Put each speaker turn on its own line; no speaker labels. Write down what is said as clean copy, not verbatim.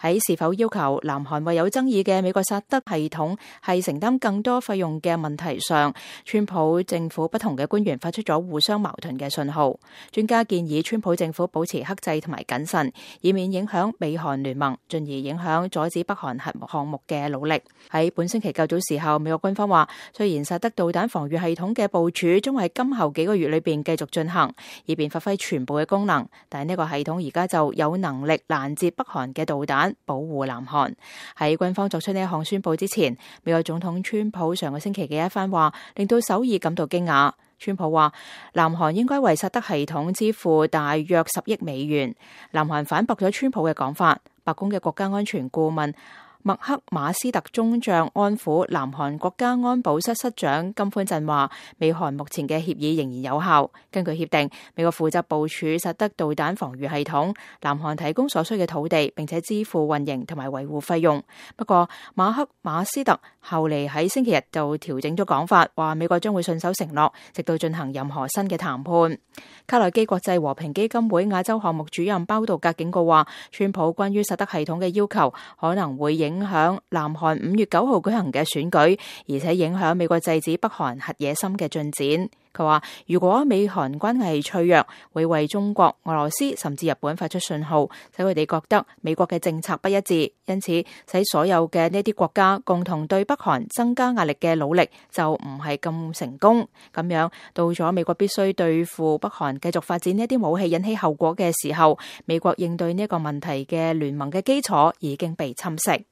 喺是否要求南韓為有爭議嘅美國薩德系統係承擔更多費用嘅問題上，川普政府不同嘅官員發出咗互相矛盾嘅信號。專家建議川普政府保持克制同埋謹慎，以免影響美韓聯盟，進而影響阻止北韓核項目嘅努力。喺本星期較早時候，美國軍方話，雖然薩德導彈防禦系統嘅部署將喺今後幾個月裏邊繼續進行，以便發揮全部嘅功能，但係呢個系統而家就有能力攔截北韓嘅導彈，保護南韓。喺軍方作出呢一項宣布之前，美國總統川普上個星期嘅一番話令到首爾感到驚訝。川普話南韓應該為薩德系統支付大約10億美元。南韓反駁咗川普嘅講法。白宮嘅國家安全顧問麥克馬斯特中將安撫南韓國家安保室室長金寬鎮話，美韓目前嘅協議仍然有效。根據協定，美國負責部署薩德導彈防禦系統，南韓提供所需嘅土地，並且支付運營同埋維護費用。不過麥克馬斯特後嚟喺星期日就調整咗講法，話美國將會信守承諾，直到進行任何新嘅談判。卡內基國際和平基金會亞洲項目主任包道格警告話，川普關於薩德系統嘅要求可能會影響南韓5月9號舉行嘅選舉，而且影響美國制止北韓核野心嘅進展。佢話如果美韓關係脆弱，會為中國、俄羅斯甚至日本發出信號，使佢哋覺得美國嘅政策不一致，因此使所有嘅呢啲國家共同對北韓增加壓力嘅努力就唔係咁成功。咁樣到咗美國必須對付北韓繼續發展呢啲武器引起後果嘅時候，美國應對呢個問題嘅聯盟嘅基礎已經被侵蝕。